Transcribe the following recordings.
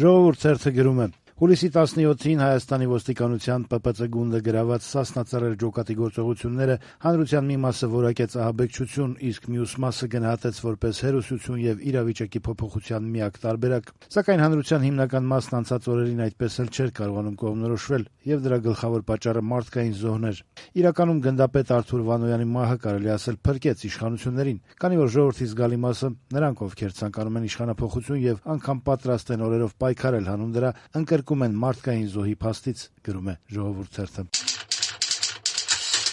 Ժողովուրդ թերթը գրում է. Հուլիսի 17-ին Հայաստանի ոստիկանության ՊՊՑ գունդը գրաված Սասնա Ծռեր ջոկատի գործողությունները հանրության մի մասը որակեց ահաբեկչություն, իսկ մյուս մասը գնահատեց որպես հերոսություն եւ իրավիճակի փոփոխության միակ տարբերակ։ Սակայն հանրության հիմնական մասն անցած օրերին այդպես էլ չէր կարողանում կողմնորոշվել, եւ դրա գլխավոր պատճառը մարդկային զոհն էր։ Իրականում գնդապետ Արթուր Վանոյանի մահը կարելի ասել փրկեց իշխանություններին, քանի որ ժողովրդի զգալի մասը, նրանք ովքեր ցանկանում են իշխանափոխություն եւ անգամ պատրաստ են օրերով պայքարել հանուն դրա, ընկրկում են մարդկային զոհի փաստից, գրում է Ժողովուրդ թերթը։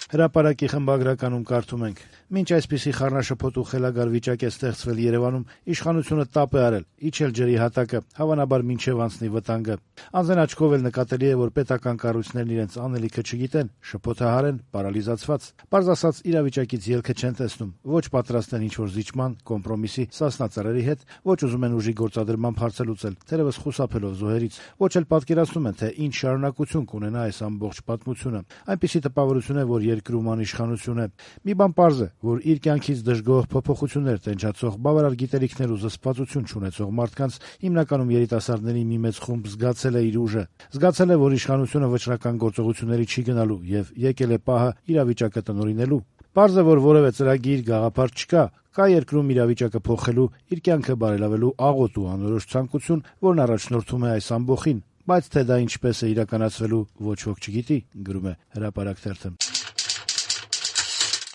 Հրապարակի խմբագրականում կարդում ենք. Մինչ այսպիսի խառնաշփոթ ու խելագար վիճակ է ստեղծվել Երևանում, իշխանությունը տապ է արել, իջել ջրի հատակը, հավանաբար մինչև անցնի վտանգը։ Անձեն աչքով էլ նկատելի է, որ պետական կառույցներն իրենց անելիքը չգիտեն, շփոթահար են, պարալիզացված։ Պարզ ասած, իրավիճակից ելքը չեն տեսնում, ոչ պատրաստ են ինչ-որ զիջման, կոմպրոմիսի, Սասնա Ծռերի հետ, ոչ ուզում են ուժի գործադրման հարցը լուծել, թերևս խուսափելով զոհերից, ոչ էլ պատկերացնում են, թե ինչ շարունակություն կունենա այս ամբողջ պատմությունը։ Այնպիսի տպավորություն է, որ երկրում անիշխանություն է։ Մի բան պարզ է, որ իր կյանքից դժգոհ փոփոխություններ տենչացող, բավարար գիտելիքներ ու զսպվածություն չունեցող մարդկանց, հիմնականում երիտասարդների մի մեծ խումբ զգացել է իր ուժը, զգացել է, որ իշխանությունը վճռական գործողությունների չի գնալու եւ եկել է պահը իրավիճակը տնօրինելու։ Պարզ է, որ որևէ ծրագիր, գաղափար չկա, կա երկրում իրավիճակը փոխելու, իր կյանքը բարելավելու աղոտ ու անորոշ ցանկություն, որն առաջնորդում է այս ամբոխին, բայց թե դա ինչպես է իրականացվելու, ոչ ոք չգիտի, գրում է Հրապարակ թերթը։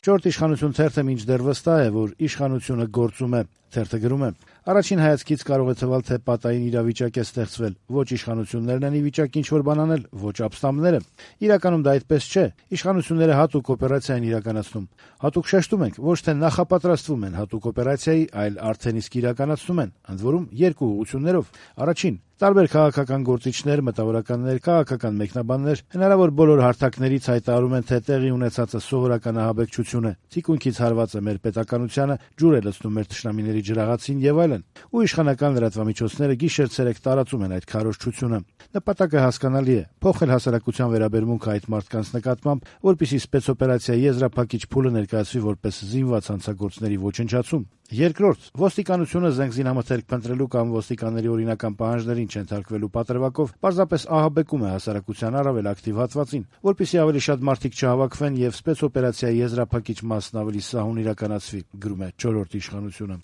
Չորրորդ իշխանություն թերթը մինչդեռ վստահ է, որ իշխանությունը գործում է։ Թերթը գրում է. Առաջին հայացքից կարող է թվալ, թե պատային իրավիճակ է ստեղծվել, ոչ իշխանություններն են ի վիճակի ինչ-որ բան անել, ոչ ապստամբները։ Իրականում դա այդպես չէ։ Իշխանությունները հատուկ օպերացիա են իրականացնում։ Հատուկ շեշտում ենք, ոչ թե նախապատրաստվում են հատուկ օպերացիայի, այլ արդեն իսկ իրականացնում են, ընդ որում երկու ուղղություններով։ Առաջին, տարբեր քաղաքական գործիչներ, մտավորականներ, քաղաքական մեկնաբաններ հնարավոր բոլոր հարթակներից հայտարարում են, թե տեղի ունեցածը սովորական ահաբեկչություն է, թիկունքից հարված է մեր պետականությանը, ջուր է լցնում մեր թշնամիների ջրաղացին եւ այլն։ Ու իշխանական լրատվամիջոցները գիշեր-ցերեկ տարածում են այդ քարոզչությունը։ Նպատակը հասկանալի է՝ փոխել հասարակության վերաբերմունքը այդ մարդկանց նկատմամբ, որպեսզի спецօպերացիայի եզրափակիչ փուլը ներկայացվի որպես զինված հանցագործների ոչնչացում։ Երկրորդ, ոստիկանությունը զենք զինամթերք փնտրելու կամ ոստիկանների օրինական պահանջներին չենթարկվելու պատրվակով պարզապես ահաբեկում է հասարակության առավել ակտիվ հատվածին, որպեսզի ավելի շատ մարդիկ չհավաքվեն եւ спецօպերացիայի եզրափակիչ մասն ավելի սահուն իրականացվի, գրում է չորրորդ իշխանությունը։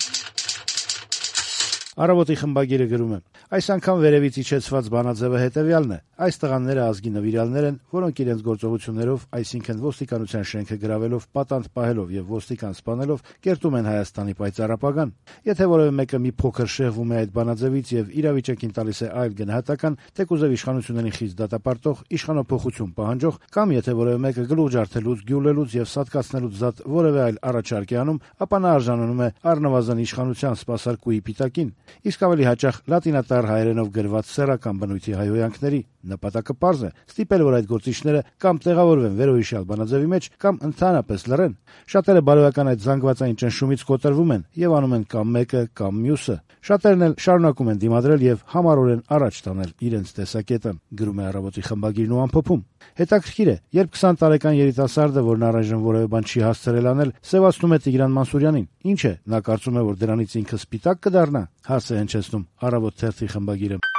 Առավոտի խմբագիրը գրում է. այս անգամ վերևից իջեցված բանաձևը հետևյալն է. այս տղաները ազգի նվիրյալներ են, որոնք իրենց գործողություններով, այսինքն ոստիկանության շենքը գրավելով, պատանդ պահելով եւ ոստիկան սպանելով, կերտում են Հայաստանի պայծառ ապագան։ Եթե որևէ մեկը մի փոքր շեղվում է այդ բանաձևից եւ իրավիճակին տալիս է այլ գնահատական, թեկուզև իշխանություններին խիստ դատապարտող, իշխանափոխություն պահանջող, կամ եթե որևէ մեկը գլուխ ջարդելուց, գյուլելուց եւ սատկացնելուց զատ որևէ այլ առաջարկ է անում, ապա նա արժանանում է առնվազն իշխանության սպասարկուի պիտակին, իսկ ավելի հաճախ լատինատար հայերենով գրված սեռական բնույթի հայհոյանքների։ Նպատակը պարզ է՝ ստիպել, որ այդ գործիչները կամ տեղավորվեն վերոհիշյալ բանաձևի մեջ, կամ ընդհանրապես լռեն։ Շատերը բարոյական այդ զանգվածային ճնշումից կոտրվում են եւ անում են կամ մեկը, կամ մյուսը։ Շատերն էլ շարունակում են դիմադրել եւ համառորեն առաջ տանել իրենց տեսակետը, գրում է Առավոտի խմբագիրն ու ամփոփում։ Հետաքրքիր է, երբ 20 տարեկան երիտասարդը, որն առայժմ որևէ բան չի հասցրել անել, սևացնում է Տիգրան Մանսուրյանին, ինչ է, նա կարծում է, որ դրանից ինքը սպիտակ կդառնա, հարց է հնչեցնում Առավոտ թերթի խմբագիրը։